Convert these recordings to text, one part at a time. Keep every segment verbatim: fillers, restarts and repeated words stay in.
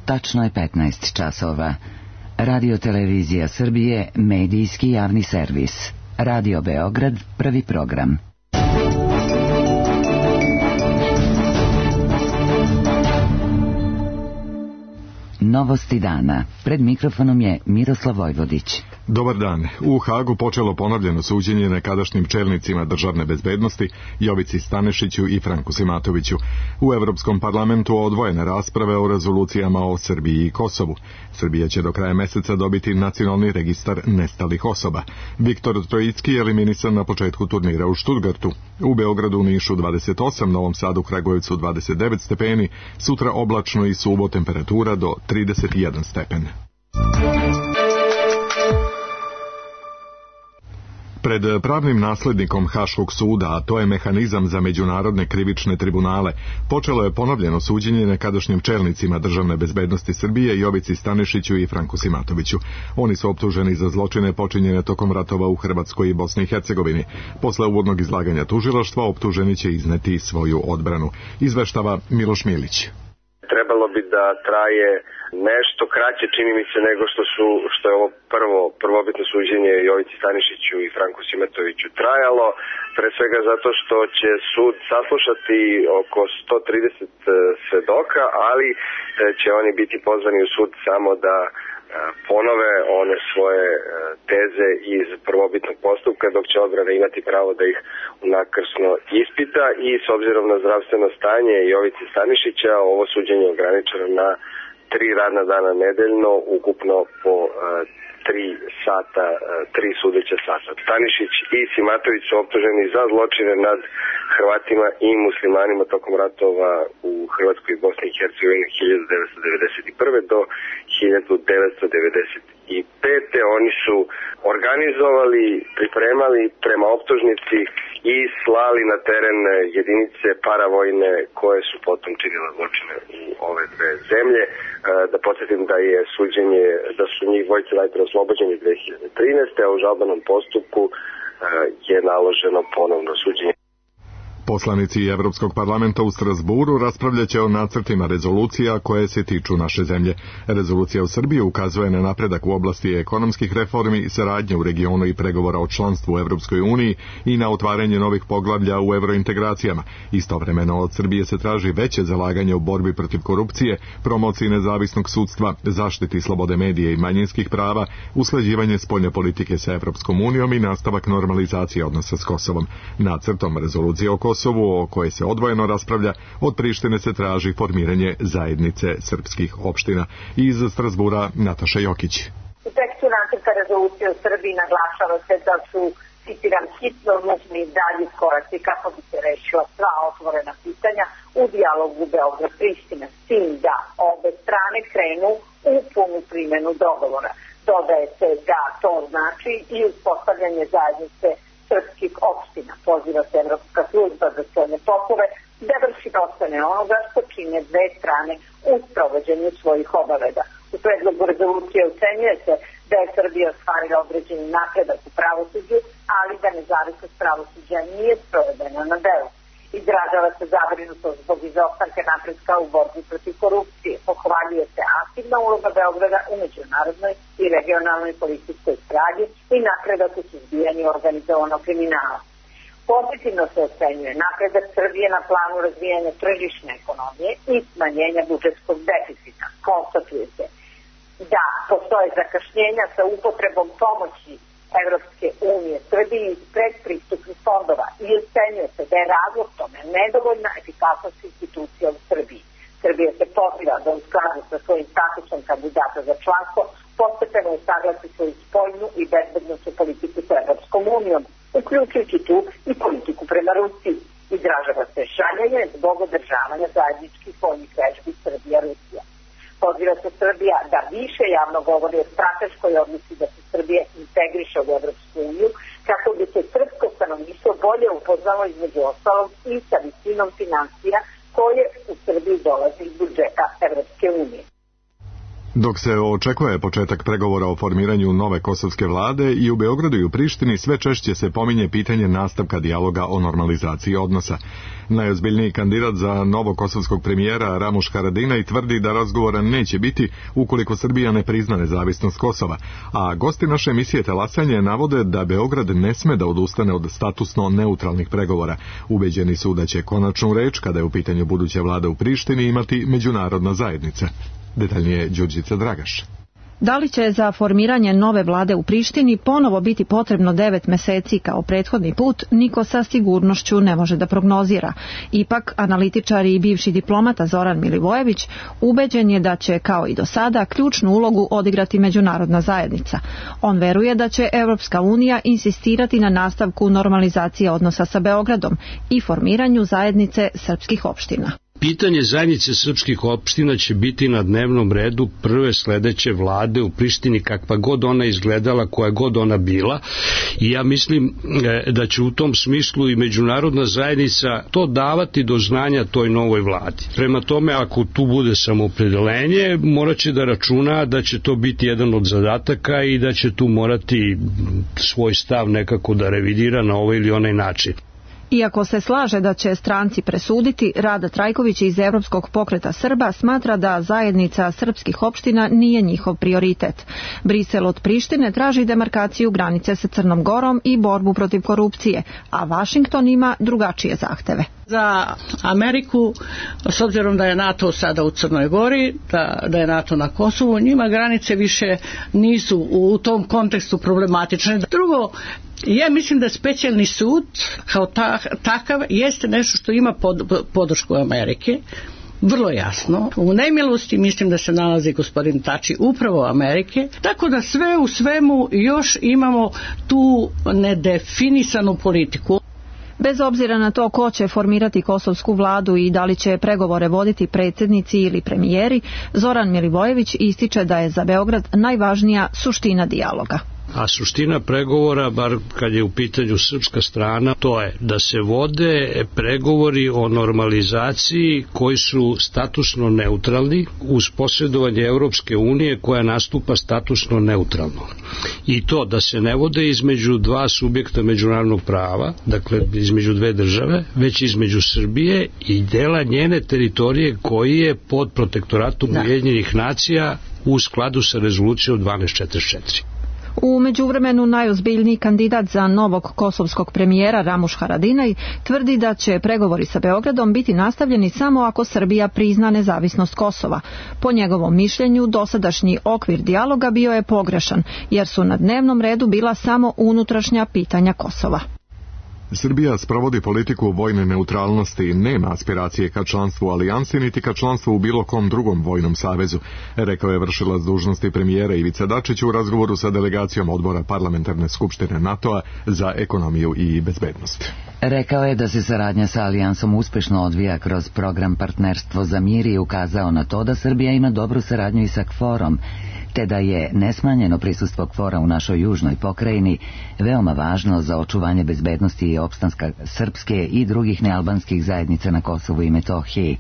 Tačno je petnaest časova. Radio Televizija Srbije, medijski javni servis. Radio Beograd, prvi program. Novosti dana. Pred mikrofonom je Miroslav Vojvodić. Dobar dan. U Hagu počelo ponovljeno suđenje nekadašnjim čelnicima državne bezbednosti Jovici Stanišiću i Franku Simatoviću. U Evropskom parlamentu odvojene rasprave o rezolucijama o Srbiji i Kosovu. Srbija će do kraja meseca dobiti nacionalni registar nestalih osoba. Viktor Trojicki je eliminisan na početku turnira u Štutgartu. U Beogradu, Nišu dvadeset osam, Novom Sadu, Kragujevcu dvadeset devet stepeni, sutra oblačno i suvo, temperatura do trideset jedan stepen. Pred pravnim naslednikom Haškog suda, a to je mehanizam za međunarodne krivične tribunale, počelo je ponovljeno suđenje nekadašnjim čelnicima državne bezbednosti Srbije Jovici Stanišiću i Franku Simatoviću. Oni su optuženi za zločine počinjene tokom ratova u Hrvatskoj i Bosni i Hercegovini. Posle uvodnog izlaganja tužilaštva, optuženi će izneti svoju odbranu. Izveštava Miloš Milić. Trebalo bi da traje nešto kraće, čini mi se, nego što su što je ovo prvo prvobitno suđenje Jovici Stanišiću i Franku Simatoviću trajalo, pre svega zato što će sud saslušati oko sto trideset svedoka, ali će oni biti pozvani u sud samo da ponove one svoje teze iz prvobitnog postupka, dok će odbrana imati pravo da ih unakrsno ispita. I s obzirom na zdravstveno stanje Jovice Stanišića, ovo suđenje je ograničeno na tri radna dana nedeljno, ukupno po tri sata, tri sudeća sata. Stanišić i Simatović su optuženi za zločine nad Hrvatima i muslimanima tokom ratova u Hrvatskoj i Bosni i Hercegovini hiljadu devetsto devedeset prve do hiljadu devetsto devedeset pete. Oni su organizovali, pripremali prema optužnici i slali na teren jedinice paravojne koje su potom činile zločine u ove dve zemlje. Da podsjetim da je suđenje, da su njih dvojice najpre oslobođeni dve hiljade trinaeste. a u žalbenom postupku je naloženo ponovno suđenje. Poslanici Evropskog parlamenta u Strasburu raspravljaće o nacrtima rezolucija koje se tiču naše zemlje. Rezolucija u Srbiji ukazuje na napredak u oblasti ekonomskih reformi, saradnje u regionu i pregovora o članstvu u Evropskoj uniji i na otvaranje novih poglavlja u evrointegracijama. Istovremeno od Srbije se traži veće zalaganje u borbi protiv korupcije, promociji nezavisnog sudstva, zaštiti slobode medija i manjinskih prava, usklađivanje spoljne politike sa Evropskom unijom i nastavak normalizacije odnosa s Kosovom. Nacrtom rezolucije o Kosovu, o kojoj se odvojeno raspravlja, od Prištine se traži formiranje zajednice srpskih opština. Iz Strasbura Nataša Jokić. U tekstu nacrta rezolucije u Srbiji naglašava se da su, citiram, hitno nužni dalji koraci kako bi se rešila sva otvorena pitanja u dijalogu Beograd-Priština, s tim da obe strane krenu u punu primjenu dogovora. Dodaje se da to znači i uspostavljanje zajednice srpskih opština. Poziva se Evropska služba za spoljne poslove da vrši procene onoga što čine dve strane u sprovođenju svojih obaveza. U predlogu rezolucije ocenjuje se da je Srbija ostvarila određeni napredak u pravosuđu, ali da nezavisnost pravosuđa nije sprovedena na delu. Izražava se zabrinutost zbog izostanka napretka u borbi protiv korupcije. Pohvaljuje se aktivna uloga Beograda u međunarodnoj i regionalnoj političkoj saradnji i napredak u suzbijanju organizovanog kriminala. Pozitivno se ocenjuje napredak Srbije na planu razvijanja tržišne ekonomije i smanjenja budžetskog deficita. Konstatuje se da postoje zakašnjenja sa upotrebom pomoći Evropske unije Srbiji iz predpristupnih fondova i ocenjuje se da je razlog tome nedovoljna efikasnost institucija u Srbiji. Srbija se poziva da u skladu sa svojim statusom kandidata za članstvo postepeno usaglasi svoju spoljnu i bezbednosnu politiku sa Evropskom unijom, uključujući tu i politiku prema Rusiji. Izražava se žaljenje zbog održavanja zajedničkih vojnih vežbi Srbija-Rusija. Poziva se Srbija da više javno govori o strateškoj odluci da se Srbija integriše u Evropsku uniju, kako bi se srpsko stanovništvo bolje upoznalo između ostalog i sa visinom financija koje u Srbiji dolazi iz budžeta Evropske unije. Dok se očekuje početak pregovora o formiranju nove kosovske vlade, i u Beogradu i u Prištini sve češće se pominje pitanje nastavka dijaloga o normalizaciji odnosa. Najozbiljniji kandidat za novog kosovskog premijera Ramuš Haradinaj tvrdi da razgovora neće biti ukoliko Srbija ne prizna nezavisnost Kosova, a gosti naše emisije Talasanje navode da Beograd ne sme da odustane od statusno neutralnih pregovora. Ubeđeni su da će konačnu reč, kada je u pitanju buduća vlada u Prištini, imati međunarodna zajednica. Detaljnije Đurđica Dragaš. Da li će za formiranje nove vlade u Prištini ponovo biti potrebno devet meseci kao prethodni put, niko sa sigurnošću ne može da prognozira. Ipak, analitičar i bivši diplomata Zoran Milivojević ubeđen je da će, kao i do sada, ključnu ulogu odigrati međunarodna zajednica. On veruje da će Evropska unija insistirati na nastavku normalizacije odnosa sa Beogradom i formiranju zajednice srpskih opština. Pitanje zajednice srpskih opština će biti na dnevnom redu prve sledeće vlade u Prištini, kakva god ona izgledala, koja god ona bila, i ja mislim da će u tom smislu i međunarodna zajednica to davati do znanja toj novoj vladi. Prema tome, ako tu bude samoopredelenje, morat će da računa da će to biti jedan od zadataka i da će tu morati svoj stav nekako da revidira na ovaj ili onaj način. Iako se slaže da će stranci presuditi, Rada Trajković iz Evropskog pokreta Srba smatra da zajednica srpskih opština nije njihov prioritet. Brisel od Prištine traži demarkaciju granice sa Crnom Gorom i borbu protiv korupcije, a Vašington ima drugačije zahteve. Za Ameriku, s obzirom da je NATO sada u Crnoj Gori, da, da je NATO na Kosovu, njima granice više nisu u tom kontekstu problematične. Drugo, ja mislim da specijalni sud kao ta, takav jeste nešto što ima pod, podršku Amerike, vrlo jasno. U nemilosti mislim da se nalazi gospodin Tači upravo Amerike, tako da sve u svemu još imamo tu nedefinisanu politiku. Bez obzira na to ko će formirati kosovsku vladu i da li će pregovore voditi predsjednici ili premijeri, Zoran Milivojević ističe da je za Beograd najvažnija suština dijaloga. A suština pregovora, bar kad je u pitanju srpska strana, to je da se vode pregovori o normalizaciji koji su statusno neutralni uz posredovanje Evropske unije koja nastupa statusno neutralno. I to da se ne vode između dva subjekta međunarodnog prava, dakle između dve države, već između Srbije i dela njene teritorije koji je pod protektoratom Ujedinjenih nacija u skladu sa rezolucijom dvanaest četrdeset četiri. U međuvremenu najozbiljniji kandidat za novog kosovskog premijera Ramuš Haradinaj tvrdi da će pregovori sa Beogradom biti nastavljeni samo ako Srbija prizna nezavisnost Kosova. Po njegovom mišljenju, dosadašnji okvir dijaloga bio je pogrešan, jer su na dnevnom redu bila samo unutrašnja pitanja Kosova. Srbija sprovodi politiku vojne neutralnosti i nema aspiracije ka članstvu u alijansi niti ka članstvu u bilo kom drugom vojnom savezu, rekao je vršilac dužnosti premijera Ivica Dačić u razgovoru sa delegacijom odbora Parlamentarne skupštine NATO-a za ekonomiju i bezbednost. Rekao je da se saradnja sa alijansom uspešno odvija kroz program Partnerstvo za mir i ukazao na to da Srbija ima dobru saradnju i sa KFOR-om, te da je nesmanjeno prisustvo KFOR-a u našoj južnoj pokrajini veoma važno za očuvanje bezbednosti i opstanska srpske i drugih nealbanskih zajednica na Kosovu i Metohiji.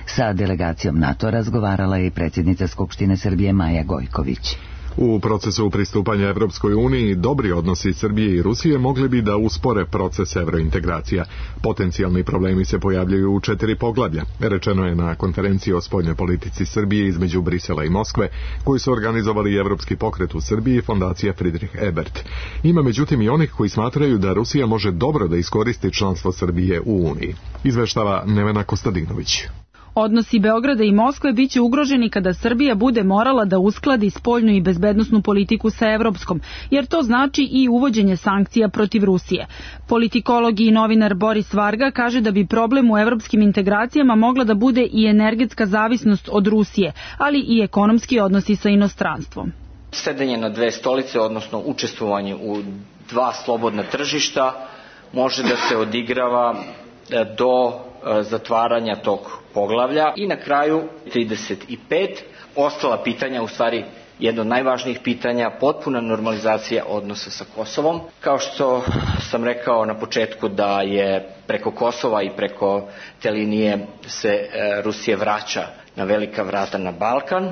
Sa delegacijom NATO razgovarala je i predsjednica Skupštine Srbije Maja Gojković. U procesu pristupanja Evropskoj uniji dobri odnosi Srbije i Rusije mogli bi da uspore proces evrointegracija. Potencijalni problemi se pojavljaju u četiri poglavlja, rečeno je na konferenciji o spoljnoj politici Srbije između Brisela i Moskve, koju su organizovali Evropski pokret u Srbiji i fondacija Friedrich Ebert. Ima međutim i onih koji smatraju da Rusija može dobro da iskoristi članstvo Srbije u Uniji. Izveštava Nevena Kostadinović. Odnosi Beograda i Moskve biće ugroženi kada Srbija bude morala da uskladi spoljnu i bezbednosnu politiku sa evropskom, jer to znači i uvođenje sankcija protiv Rusije. Politikolog i novinar Boris Varga kaže da bi problem u evropskim integracijama mogla da bude i energetska zavisnost od Rusije, ali i ekonomski odnosi sa inostranstvom. Sedenje na dve stolice, odnosno učestvovanje u dva slobodna tržišta, može da se odigrava do zatvaranja tog poglavlja. I na kraju trideset pet ostala pitanja, u stvari jedno od najvažnijih pitanja, potpuna normalizacija odnosa sa Kosovom. Kao što sam rekao na početku da je preko Kosova i preko te linije se Rusija vraća na velika vrata na Balkan.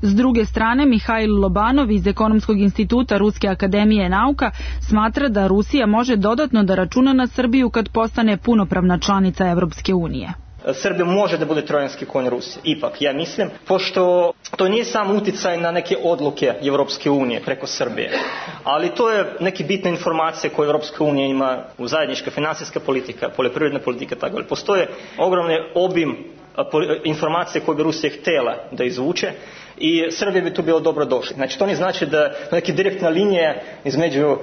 S druge strane, Mihajl Lobanov iz Ekonomskog instituta Ruske akademije nauka smatra da Rusija može dodatno da računa na Srbiju kad postane punopravna članica Evropske unije. Srbija može da bude trojanski konj Rusije, ipak, ja mislim, pošto to nije samo uticaj na neke odluke Evropske unije preko Srbije, ali to je neke bitne informacije koje Evropska unija ima u zajednička finansijska politika, poljoprivredna politika, tako da postoje ogromne obim informacije koje bi Rusija htjela da izvuče i Srbija bi tu bilo dobro došli. Znači to ne znači da neke direktna linija između uh,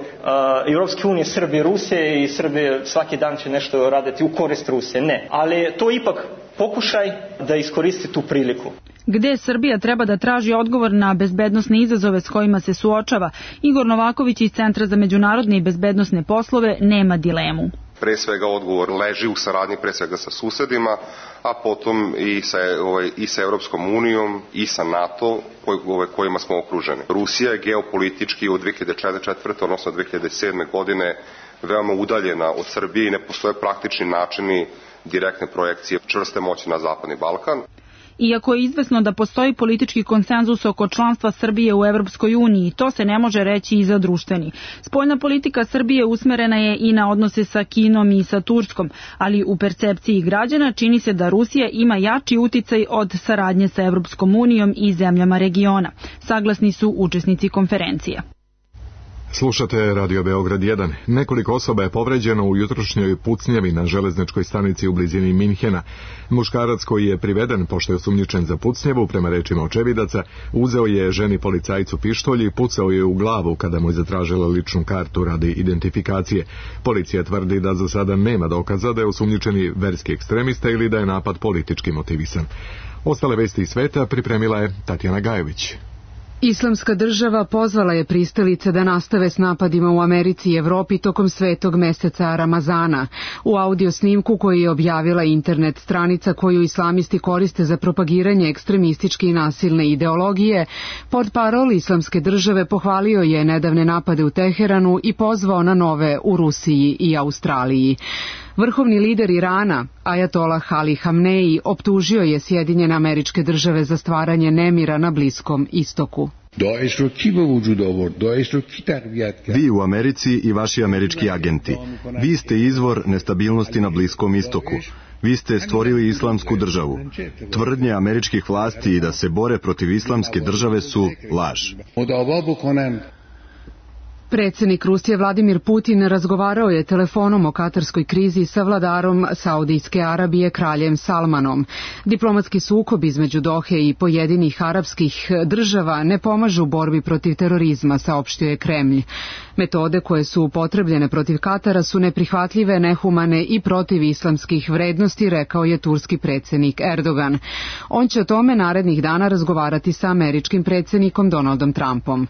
Europske unije, Srbije i Rusije i Srbije svaki dan će nešto raditi u korist Rusije. Ne, ali to ipak pokušaj da iskoristi tu priliku. Gde Srbija treba da traži odgovor na bezbednosne izazove s kojima se suočava, Igor Novaković iz Centra za međunarodne i bezbednosne poslove nema dilemu. Pre svega odgovor leži u saradnji pre svega sa susedima, a potom i sa, ovaj, i sa Europskom unijom i sa NATO koj, ovaj, kojima smo okruženi. Rusija je geopolitički od dve hiljade četvrte. odnosno dve hiljade sedme. godine veoma udaljena od Srbije i ne postoje praktični načini direktne projekcije čvrste moći na Zapadni Balkan. Iako je izvesno da postoji politički konsenzus oko članstva Srbije u Evropskoj uniji, to se ne može reći i za društveni. Spoljna politika Srbije usmerena je i na odnose sa Kinom i sa Turskom, ali u percepciji građana čini se da Rusija ima jači uticaj od saradnje sa Evropskom unijom i zemljama regiona. Saglasni su učesnici konferencije. Slušate Radio Beograd jedan. Nekoliko osoba je povređeno u jutrošnjoj pucnjavi na železničkoj stanici u blizini Minhena. Muškarac koji je priveden pošto je osumnjičen za pucnjavu, prema rečima očevidaca, uzeo je ženi policajcu pištolj i pucao je u glavu kada mu je zatražila ličnu kartu radi identifikacije. Policija tvrdi da za sada nema dokaza da je osumnjičeni verski ekstremista ili da je napad politički motivisan. Ostale vesti iz sveta pripremila je Tatjana Gajović. Islamska država pozvala je pristalice da nastave s napadima u Americi i Evropi tokom svetog meseca Ramazana. U audio snimku koji je objavila internet stranica koju islamisti koriste za propagiranje ekstremističke i nasilne ideologije, portparol Islamske države pohvalio je nedavne napade u Teheranu i pozvao na nove u Rusiji i Australiji. Vrhovni lider Irana, Ajatolah Ali Hamneji, optužio je Sjedinjene Američke Države za stvaranje nemira na Bliskom istoku. Vi u Americi i vaši američki agenti. Vi ste izvor nestabilnosti na Bliskom istoku. Vi ste stvorili islamsku državu. Tvrdnje američkih vlasti da se bore protiv islamske države su laž. Predsjednik Rusije Vladimir Putin razgovarao je telefonom o katarskoj krizi sa vladarom Saudijske Arabije kraljem Salmanom. Diplomatski sukob između Dohe i pojedinih arapskih država ne pomažu u borbi protiv terorizma, saopštio je Kremlj. Metode koje su upotrebljene protiv Katara su neprihvatljive, nehumane i protiv islamskih vrednosti, rekao je turski predsjednik Erdogan. On će o tome narednih dana razgovarati sa američkim predsjednikom Donaldom Trumpom.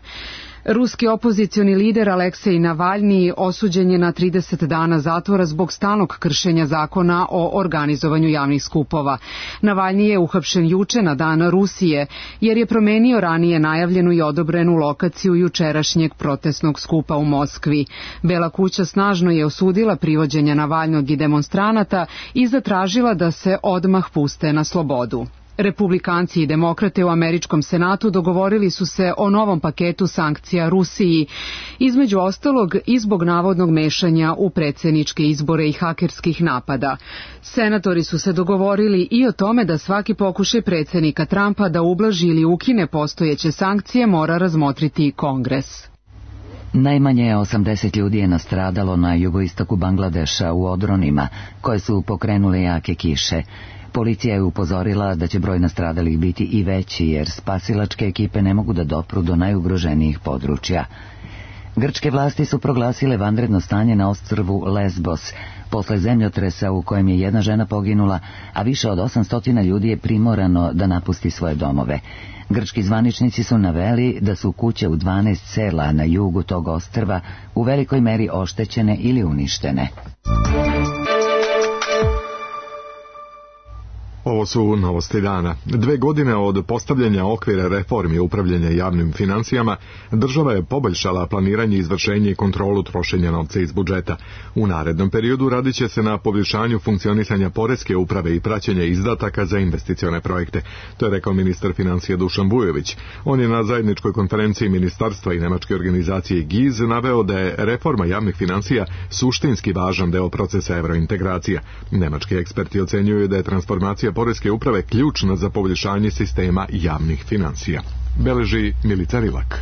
Ruski opozicioni lider Aleksej Navalni osuđen je na trideset dana zatvora zbog stalnog kršenja zakona o organizovanju javnih skupova. Navalni je uhapšen juče na dan Rusije jer je promenio ranije najavljenu i odobrenu lokaciju jučerašnjeg protestnog skupa u Moskvi. Bela kuća snažno je osudila privođenje Navalnog i demonstranata i zatražila da se odmah puste na slobodu. Republikanci i demokrate u američkom senatu dogovorili su se o novom paketu sankcija Rusiji, između ostalog i zbog navodnog mešanja u predsjedničke izbore i hakerskih napada. Senatori su se dogovorili i o tome da svaki pokušaj predsjednika Trumpa da ublaži ili ukine postojeće sankcije mora razmotriti Kongres. Najmanje osamdeset ljudi je nastradalo na jugoistoku Bangladeša u odronima koje su pokrenule jake kiše. Policija je upozorila da će broj nastradalih biti i veći jer spasilačke ekipe ne mogu da dopru do najugroženijih područja. Grčke vlasti su proglasile vanredno stanje na ostrvu Lesbos posle zemljotresa u kojem je jedna žena poginula, a više od osamsto ljudi je primorano da napusti svoje domove. Grčki zvaničnici su naveli da su kuće u dvanaest sela na jugu tog ostrva u velikoj meri oštećene ili uništene. Ovo su novosti dana. Dve godine od postavljanja okvira reformi upravljanja javnim financijama, država je poboljšala planiranje, izvršenje i kontrolu trošenja novca iz budžeta. U narednom periodu radit će se na poboljšanju funkcionisanja poreske uprave i praćenja izdataka za investicione projekte. To je rekao ministar financija Dušan Vujović. On je na zajedničkoj konferenciji ministarstva i nemačke organizacije G I Z naveo da je reforma javnih financija suštinski važan deo procesa evrointegracija. Nemački eksperti ocenjuju da je transformacija poreske uprave ključna za poboljšanje sistema javnih financija. Beleži Milica Rilak.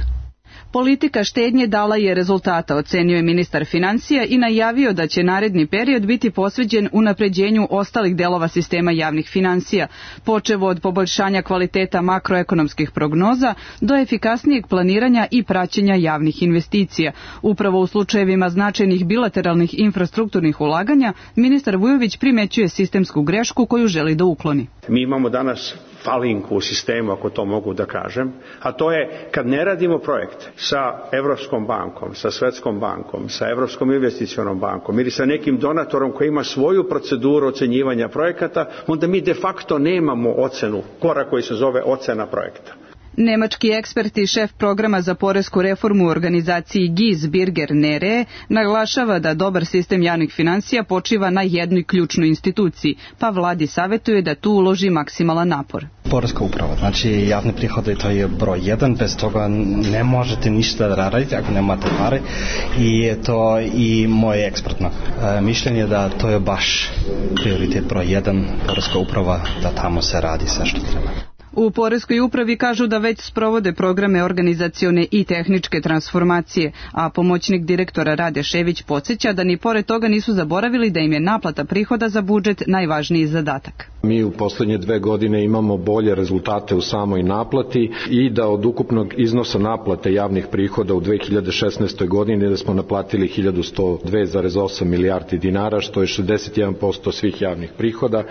Politika štednje dala je rezultata, ocenio je ministar financija i najavio da će naredni period biti posveđen unapređenju ostalih delova sistema javnih financija, počev od poboljšanja kvaliteta makroekonomskih prognoza do efikasnijeg planiranja i praćenja javnih investicija. Upravo u slučajevima značajnih bilateralnih infrastrukturnih ulaganja, ministar Vujović primećuje sistemsku grešku koju želi da ukloni. Mi imamo danas falinku u sistemu, ako to mogu da kažem, a to je kad ne radimo projekt sa Evropskom bankom, sa Svetskom bankom, sa Evropskom investicionom bankom ili sa nekim donatorom koji ima svoju proceduru ocenjivanja projekata, onda mi de facto nemamo ocenu, korak koji se zove ocena projekta. Nemački ekspert i šef programa za poresku reformu u organizaciji G I Z Birger Nere naglašava da dobar sistem javnih financija počiva na jednoj ključnoj instituciji, pa vladi savjetuje da tu uloži maksimalan napor. Poreska uprava, znači javni prihodi, to je broj jedan, bez toga ne možete ništa raditi ako nemate pare i je to i moje ekspertno e, mišljenje da to je baš prioritet broj jedan, poreska uprava, da tamo se radi sve što treba. U poreskoj upravi kažu da već sprovode programe organizacione i tehničke transformacije, a pomoćnik direktora Rade Šević podsjeća da ni pored toga nisu zaboravili da im je naplata prihoda za budžet najvažniji zadatak. Mi u poslednje dve godine imamo bolje rezultate u samoj naplati i da od ukupnog iznosa naplate javnih prihoda u dve hiljade šesnaestoj godini da smo naplatili hiljadu sto dve zarez osam milijardi dinara, što je šezdeset jedan posto svih javnih prihoda.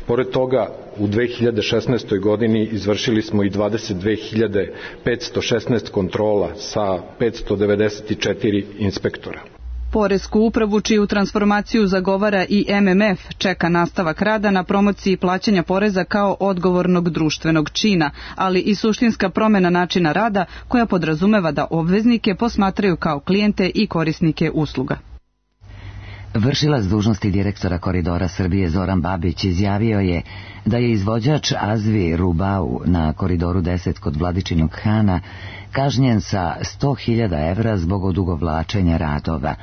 Pored toga, u dve hiljade šesnaestoj godini izvršili smo i dvadeset dve hiljade petsto šesnaest kontrola sa petsto devedeset četiri inspektora. Poresku upravu, čiju transformaciju zagovara i M M F, čeka nastavak rada na promociji plaćanja poreza kao odgovornog društvenog čina, ali i suštinska promena načina rada koja podrazumeva da obveznike posmatraju kao klijente i korisnike usluga. Vršilac dužnosti direktora Koridora Srbije Zoran Babić izjavio je da je izvođač Azvi Rubau na Koridoru deset kod Vladičinog Hana kažnjen sa sto hiljada evra zbog odugovlačenja radova.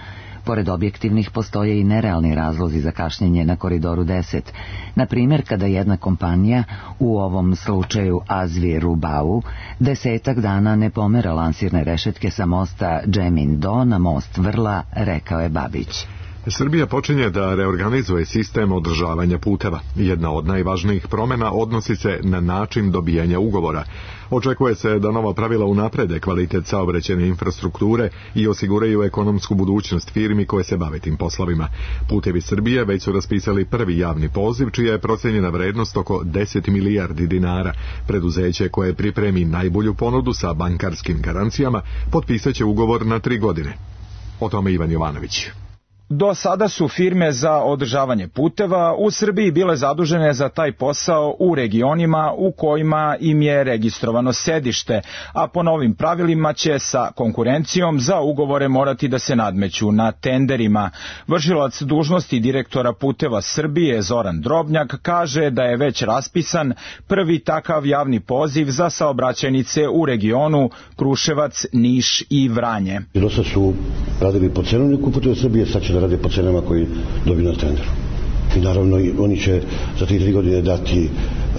Pored objektivnih postoje i nerealni razlozi za kašnjenje na Koridoru deset. Na primjer, kada jedna kompanija, u ovom slučaju Azvi Rubau, desetak dana ne pomera lansirne rešetke sa mosta Džemin Do na most Vrla, rekao je Babić. Srbija počinje da reorganizuje sistem održavanja puteva. Jedna od najvažnijih promena odnosi se na način dobijanja ugovora. Očekuje se da nova pravila unaprede kvalitet saobraćajne infrastrukture i osiguraju ekonomsku budućnost firmi koje se bave tim poslovima. Putevi Srbije već su raspisali prvi javni poziv, čija je procenjena vrednost oko deset milijardi dinara. Preduzeće koje pripremi najbolju ponudu sa bankarskim garancijama potpisaće ugovor na tri godine. O tome Ivan Jovanović. Do sada su firme za održavanje puteva u Srbiji bile zadužene za taj posao u regionima u kojima im je registrovano sedište, a po novim pravilima će sa konkurencijom za ugovore morati da se nadmeću na tenderima. Vršilac dužnosti direktora Puteva Srbije Zoran Drobnjak kaže da je već raspisan prvi takav javni poziv za saobraćajnice u regionu Kruševac, Niš i Vranje. Do sad su radili po cenovniku Puteva Srbije, sad će da rade po cenama koji dobiju na tenderu. I naravno oni će za tri, tri godine dati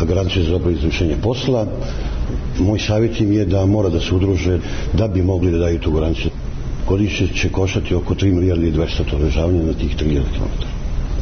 garanciju za dobro izvršenje posla. Moj savjet im je da mora da se udruže da bi mogli da daju tu garanciju. Godišnje će koštati oko tri milijarde i dvesta to održavanje na tih tri hiljade kilometara.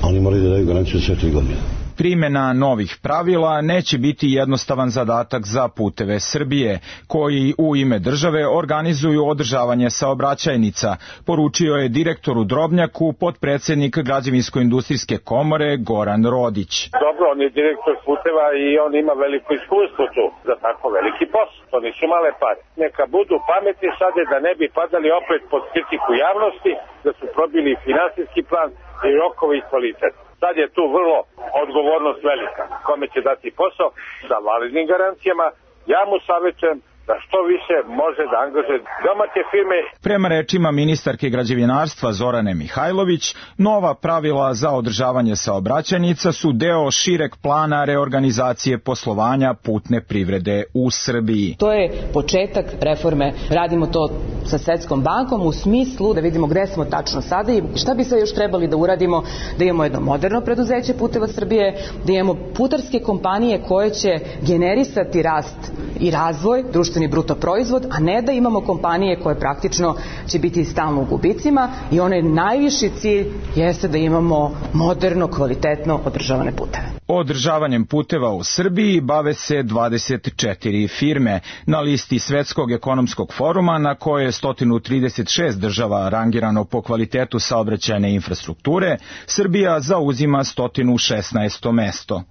A oni moraju da daju garanciju za sve tri godine. Primjena novih pravila neće biti jednostavan zadatak za Puteve Srbije, koji u ime države organizuju održavanje saobraćajnica, poručio je direktoru Drobnjaku potpredsednik Građevinsko-industrijske komore Goran Rodić. Dobro, on je direktor Puteva i on ima veliko iskustvo tu za tako veliki posao. To nisu male pare. Neka budu pametni sada da ne bi padali opet pod kritiku javnosti, da su probili finansijski plan i rokove i kvalitet. Sad je tu vrlo odgovornost velika. Kome će dati posao sa validnim garancijama, ja mu savjetujem da što više može da angažuje domaće firme. Prema rečima ministarke građevinarstva Zorane Mihajlović, nova pravila za održavanje saobraćajnica su deo šireg plana reorganizacije poslovanja putne privrede u Srbiji. To je početak reforme. Radimo to sa Svetskom bankom u smislu da vidimo gde smo tačno sada i šta bi sve još trebali da uradimo, da imamo jedno moderno preduzeće Puteva Srbije, da imamo putarske kompanije koje će generisati rast i razvoj, društveni bruto proizvod, a ne da imamo kompanije koje praktično će biti stalno u gubicima i onaj najviši cilj jeste da imamo moderno, kvalitetno održavane puteve. Održavanjem puteva u Srbiji bave se dvadeset četiri firme. Na listi Svetskog ekonomskog foruma, na koje je sto trideset šest država rangirano po kvalitetu saobraćajne infrastrukture, Srbija zauzima sto šesnaesto mesto.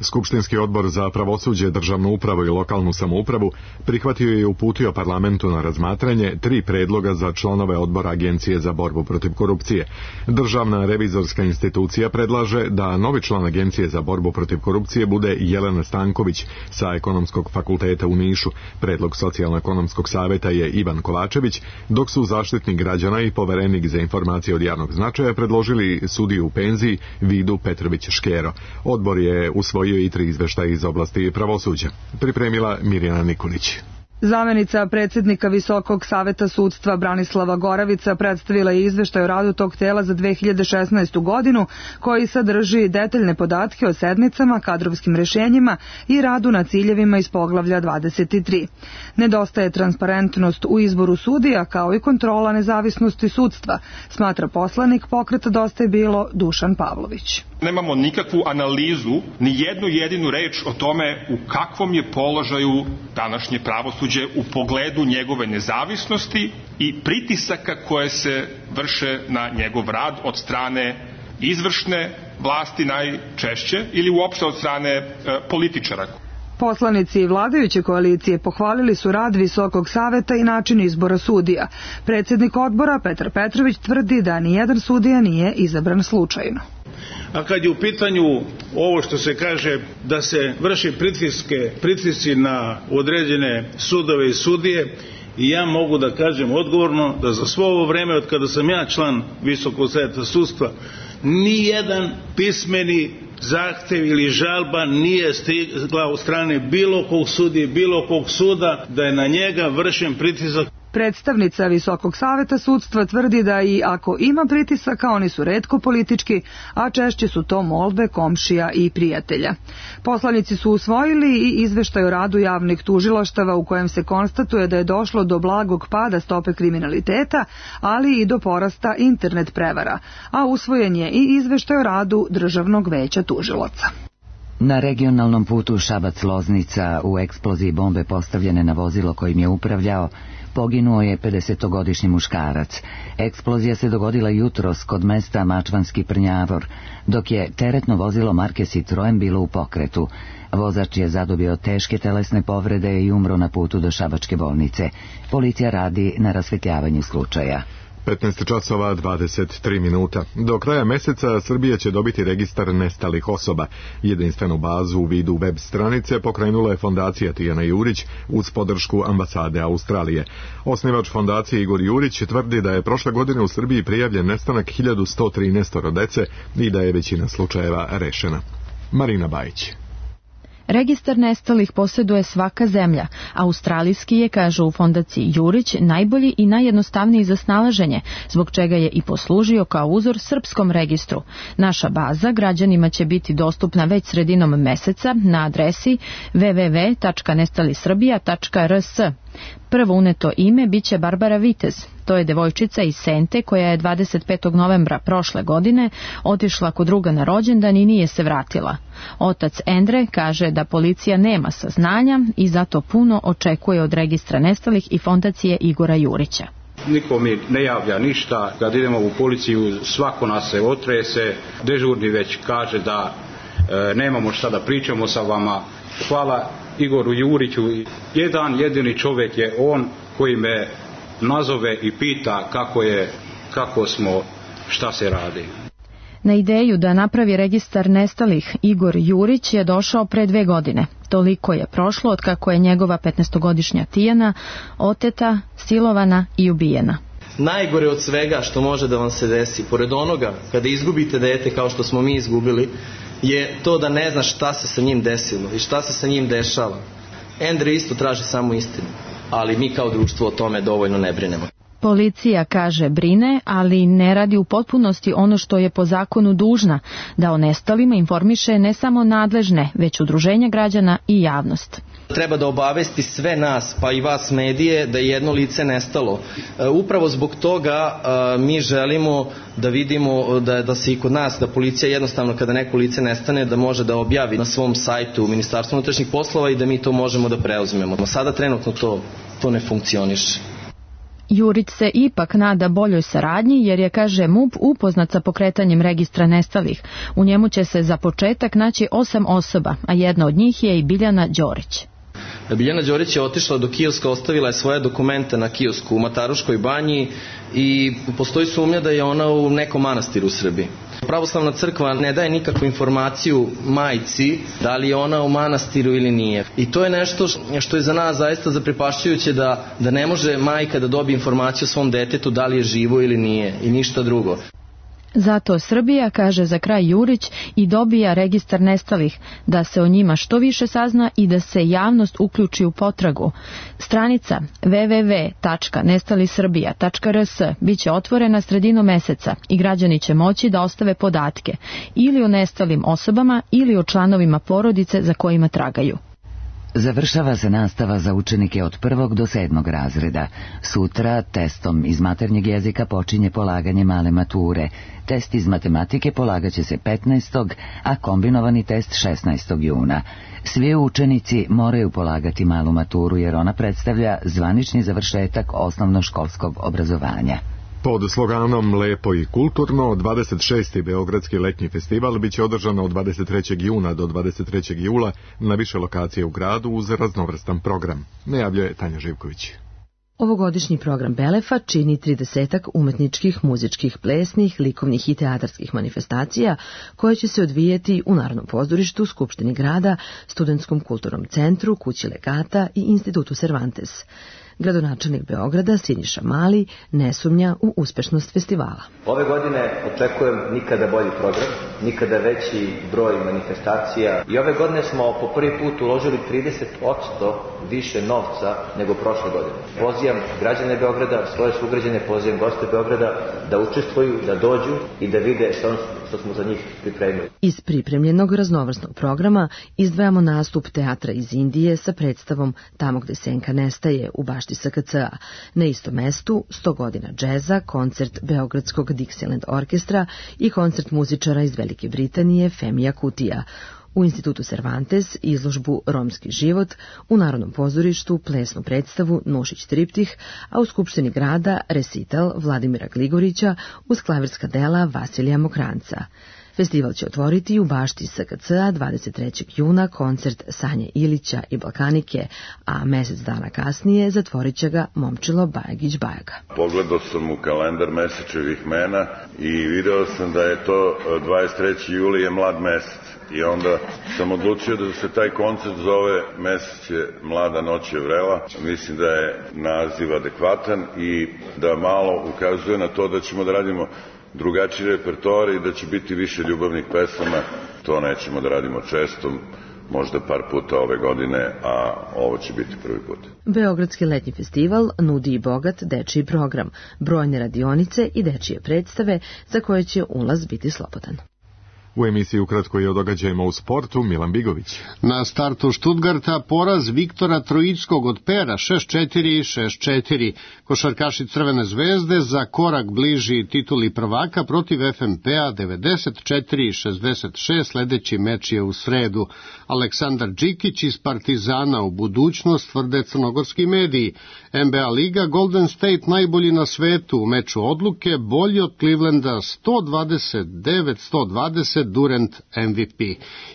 Skupštinski odbor za pravosuđe, državnu upravu i lokalnu samoupravu prihvatio je i uputio parlamentu na razmatranje tri predloga za članove odbora Agencije za borbu protiv korupcije. Državna revizorska institucija predlaže da novi član Agencije za borbu protiv korupcije bude Jelena Stanković sa Ekonomskog fakulteta u Nišu. Predlog Socijalno-ekonomskog saveta je Ivan Kovačević, dok su Zaštitnik građana i poverenik za informacije od javnog značaja predložili sudiju u penziji Vidu Petrović-Škero. Odbor je usvojio i tri izveštaja iz oblasti pravosuđa. Pripremila Mirjana Nikolić. Zamenica predsjednika Visokog saveta sudstva Branislava Goravica predstavila je izveštaj o radu tog tela za dve hiljade šesnaestu godinu, koji sadrži detaljne podatke o sednicama, kadrovskim rešenjima i radu na ciljevima iz poglavlja dvadeset tri. Nedostaje transparentnost u izboru sudija, kao i kontrola nezavisnosti sudstva, smatra poslanik Pokreta Dosta je bilo Dušan Pavlović. Nemamo nikakvu analizu, ni jednu jedinu reč o tome u kakvom je položaju današnje pravosuđe u pogledu njegove nezavisnosti i pritisaka koje se vrše na njegov rad od strane izvršne vlasti najčešće ili uopšte od strane e, političara. Poslanici vladajuće koalicije pohvalili su rad Visokog saveta i način izbora sudija. Predsjednik odbora Petar Petrović tvrdi da nijedan sudija nije izabran slučajno. A kad je u pitanju ovo što se kaže da se vrši pritiske, pritisci na određene sudove i sudije, i ja mogu da kažem odgovorno da za svo ovo vreme od kada sam ja član Visokog saveta sudstva, ni jedan pismeni zahtev ili žalba nije stigla od strane bilo kog sudije, bilo kog suda da je na njega vršen pritisak. Predstavnica Visokog saveta sudstva tvrdi da i ako ima pritisaka, oni su retko politički, a češće su to molbe komšija i prijatelja. Poslanici su usvojili i izveštaj o radu javnih tužilaštava u kojem se konstatuje da je došlo do blagog pada stope kriminaliteta, ali i do porasta internet prevara, a usvojen je i izveštaj o radu Državnog veća tužilaca. Na regionalnom putu Šabac-Loznica u eksploziji bombe postavljene na vozilo kojim je upravljao poginuo je pedesetogodišnji muškarac. Eksplozija se dogodila jutros kod mesta Mačvanski Prnjavor, dok je teretno vozilo marke Citroen bilo u pokretu. Vozač je zadobio teške telesne povrede i umro na putu do šabačke bolnice. Policija radi na rasvetljavanju slučaja. petnaest časova dvadeset tri minuta. Do kraja meseca Srbija će dobiti registar nestalih osoba. Jedinstvenu bazu u vidu web stranice pokrenula je fondacija Tijana Jurić uz podršku ambasade Australije. Osnivač fondacije Igor Jurić tvrdi da je prošle godine u Srbiji prijavljen nestanak hiljadu sto trinaest dece i da je većina slučajeva rešena. Marina Bajić. Registar nestalih posjeduje svaka zemlja. Australijski je, kažu u fondaciji Jurić, najbolji i najjednostavniji za snalaženje, zbog čega je i poslužio kao uzor srpskom registru. Naša baza građanima će biti dostupna već sredinom meseca na adresi w w w tačka nestalisrbija tačka r s. Prvo uneto ime biće Barbara Vitez. To je devojčica iz Sente koja je dvadeset petog novembra prošle godine otišla kod druga na rođendan i nije se vratila. Otac Endre kaže da policija nema saznanja i zato puno očekuje od registra nestalih i fondacije Igora Jurića. Niko mi ne javlja ništa, kad idemo u policiju svako nas se otrese, dežurni već kaže da e, nemamo šta da pričamo sa vama. Hvala Igoru Juriću, jedan jedini čovjek je on koji me nazove i pita kako je, kako smo, šta se radi. Na ideju da napravi registar nestalih Igor Jurić je došao pre dve godine. Toliko je prošlo od kako je njegova petnaestogodišnja Tijana oteta, silovana i ubijena. Najgore od svega što može da vam se desi, pored onoga kada izgubite dete kao što smo mi izgubili, je to da ne znaš šta se sa njim desilo i šta se sa njim dešava. Endre isto traži samo istinu, ali mi kao društvo o tome dovoljno ne brinemo. Policija kaže brine, ali ne radi u potpunosti ono što je po zakonu dužna, da o nestalima informiše ne samo nadležne, već udruženja građana i javnost. Treba da obavesti sve nas, pa i vas medije, da je jedno lice nestalo. Upravo zbog toga mi želimo da vidimo da, da se i kod nas, da policija jednostavno kada neko lice nestane, da može da objavi na svom sajtu Ministarstva unutrašnjih poslova i da mi to možemo da preuzmemo. Sada trenutno to, to ne funkcioniše. Jurić se ipak nada boljoj saradnji jer je, kaže M U P, upoznat sa pokretanjem registra nestalih. U njemu će se za početak naći osam osoba, a jedna od njih je i Biljana Đorić. Biljana Đorić je otišla do kioska, ostavila je svoje dokumente na kiosku u Mataruškoj banji i postoji sumnja da je ona u nekom manastiru u Srbiji. Pravoslavna crkva ne daje nikakvu informaciju majci da li je ona u manastiru ili nije. I to je nešto što je za nas zaista zaprepašćujuće, da, da ne može majka da dobije informaciju o svom detetu da li je živo ili nije i ništa drugo. Zato Srbija, kaže za kraj Jurić, i dobija registar nestalih, da se o njima što više sazna i da se javnost uključi u potragu. Stranica w w w tačka nestali srbija tačka r s biće otvorena sredinom meseca i građani će moći da ostave podatke ili o nestalim osobama ili o članovima porodice za kojima tragaju. Završava se nastava za učenike od prvog do sedmog razreda. Sutra testom iz maternjeg jezika počinje polaganje male mature. Test iz matematike polagaće se petnaestog a kombinovani test šesnaestog juna. Svi učenici moraju polagati malu maturu jer ona predstavlja zvanični završetak osnovnoškolskog obrazovanja. Pod sloganom Lepo i kulturno, dvadeset šesti Beogradski letnji festival biće održan od dvadeset trećeg juna do dvadeset trećeg jula na više lokacije u gradu uz raznovrstan program. Najavljuje Tanja Živković. Ovogodišnji program Belefa čini tridesetak umetničkih, muzičkih, plesnih, likovnih i teatarskih manifestacija koje će se odvijeti u Narodnom pozorištu, Skupštini grada, Studentskom kulturnom centru, Kući legata i Institutu Cervantes. Gradonačelnik Beograda Siniša Mali ne sumnja u uspešnost festivala. Ove godine očekujem nikada bolji program, nikada veći broj manifestacija i ove godine smo po prvi put uložili trideset posto više novca nego prošle godine. Pozivam građane Beograda, svoje sugrađane, pozivam goste Beograda da učestvuju, da dođu i da vide što, što smo za njih pripremili. Iz pripremljenog raznovrsnog programa izdvajamo nastup teatra iz Indije sa predstavom Tamo gde senka nestaje u bašti S K C A. Na istom mestu sto godina džeza, koncert Beogradskog Dixieland orkestra i koncert muzičara iz Velike Britanije Femija Kutija. U Institutu Cervantes izložbu Romski život, u Narodnom pozorištu plesnu predstavu Nušić triptih, a u Skupštini grada resital Vladimira Gligorića uz klavirska dela Vasilija Mokranca. Festival će otvoriti u bašti S K C A dvadeset trećeg juna koncert Sanje Ilića i Balkanike, a mesec dana kasnije zatvorit će ga Momčilo Bajagić-Bajaga. Pogledao sam u kalendar Mesečevih mena i video sam da je to dvadeset treći juli je mlad mesec. I onda sam odlučio da se taj koncert zove Mesec je mlada, noć je vrela. Mislim da je naziv adekvatan i da malo ukazuje na to da ćemo da radimo drugačiji repertoar i da će biti više ljubavnih pesama. To nećemo da radimo često, možda par puta ove godine, a ovo će biti prvi put. Beogradski letnji festival nudi i bogat dečiji program, brojne radionice i dečije predstave za koje će ulaz biti slobodan. U emisiji ukratko je o događajima u sportu Milan Bigović. Na startu Stuttgarta poraz Viktora Trojičkog od Pera šest četiri i šest četiri. Košarkaši Crvene zvezde za korak bliži tituli prvaka protiv F M P-a devedeset četiri i šezdeset šest. Sledeći meč je u sredu. Aleksandar Đikić iz Partizana u budućnost, tvrde crnogorski mediji. N B A liga Golden State najbolji na svetu u meču odluke, bolji od Clevelanda sto dvadeset devet sto dvadeset, Durant M V P.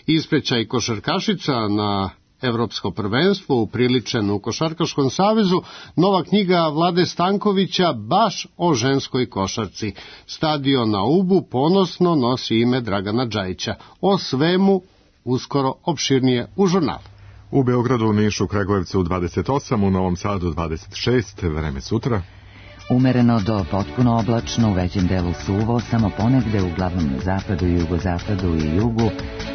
Isprećaj košarkašica na Evropsko prvenstvo upriličeno u Košarkaškom savezu, nova knjiga Vlade Stankovića baš o ženskoj košarci. Stadion na Ubu ponosno nosi ime Dragana Džajića. O svemu uskoro opširnije u žurnalu. U Beogradu, Nišu, Kragujevcu dvadeset osam, u Novom Sadu dvadeset šest, vreme sutra. Umereno do potpuno oblačno, u većem delu suvo, samo ponegde uglavnom na zapadu i jugozapadu i jugu,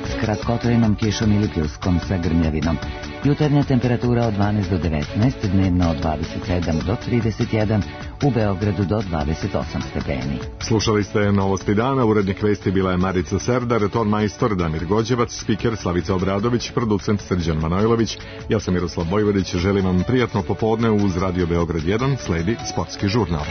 s kratkotrajnom kišom ili pljuskom sa grmljavinom. Jutarnja temperatura od dvanaest do devetnaest, dnevno od dvadeset sedam do trideset jedan, u Beogradu do dvadeset osam stepeni. Slušali ste Novosti dana, urednik vesti bila je Marica Serdar, ton majstor Damir Gođevac, spiker Slavica Obradović, producent Srđan Manojlović. Ja sam Miroslav Bojvodić, želim vam prijatno popodne uz Radio Beograd jedan, sledi sportski žurnal.